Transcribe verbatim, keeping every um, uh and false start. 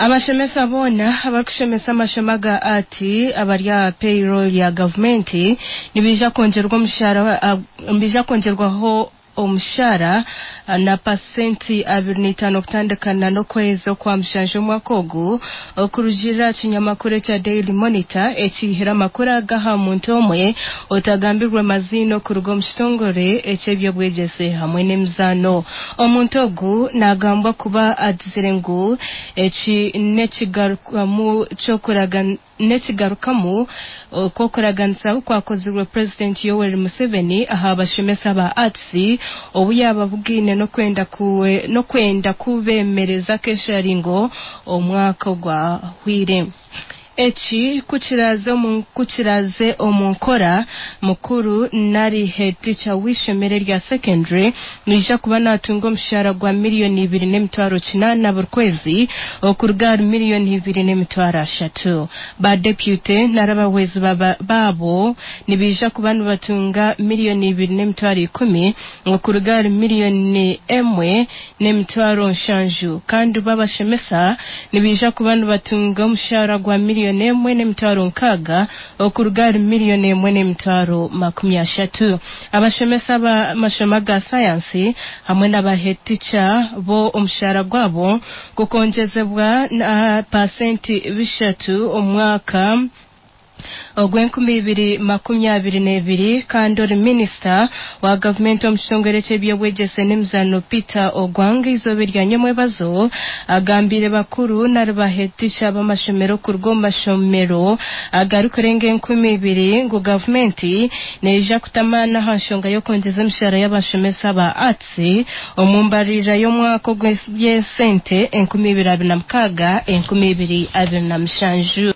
Abashomesa boona abarikushomesa amashomo aga Arts abari aha payroll ya gavumenti nibaija kwongyerwa omushara nibaija kwongyerwaho omushara na pasenti abiri n'itaano kutandikana n'okwezi okwa mushanju omwaka ogu okurugiirira aha kinyamakuru ekya Daily Monitor ekiihire amakuru aga aha muntu omwe otagambirwe maziina okuruga omu kitongore eky'eby'obwegyese hamwe n'emizaano. Omuntu ogu nagambwa kuba agizire ngu eki n'ekigarukamu ky'okuragan n'ekigarukamu okw'okuraganisa okwakozirwe Purezidenti Yoweri Museveni aha bashomesa ba Arts obu yaababugaine n'okwenda n'okwenda kubeemereza akesharingo omwaka ogwahwire. Eki ku kiraaze omu nkora, mukuru nari headteacher w'eishomero erya secondary naija kuba naatunga omushara gwa miriyoni ibiri n'emitwaro kinaana buri kwezi okuruga ahari miriyoni ibiri n'emitwaro ashatu. Ba deputy nari abahwezi baabo nibaija kuba nibatunga miriyoni ibiri n'emitwaro ikumi okuruga ahari miriyoni emwe n'emitwaro nshanju kandi bo abashomesa nibaija kuba nibatunga omushara gwa miriyoni emwe n'emitwaro nkaaga okuruga ahari miriyoni emwe n'emitwaro makumi ashatu. Abashomesa b'amashomo aga sayansi hamwe n'aba headteacher bo omushara gwabo gukongyezebwa na pasenti bishatu omu mwaka ogw'enkumi ibiri makumi abiri n'ebiri kandi ori minisita wa gavumenti omu kitongore ky'eby'obwegyese n'emizaano Peter Ogwang eizooba erya nyamwebazo agambiire bakuru nari ba headteacher b'amashomero kuruga omu mashomero agarikurenga enkumi ibiri ngu gavumenti neija kuta amaani aha nshonga y'okwongyeza emishara y'abashomesa ba Arts omu mbarira y'omwaka ogw'eby'esente enkumi ibiri abiri na mukaaga enkumi ibiri abiri na mushanju.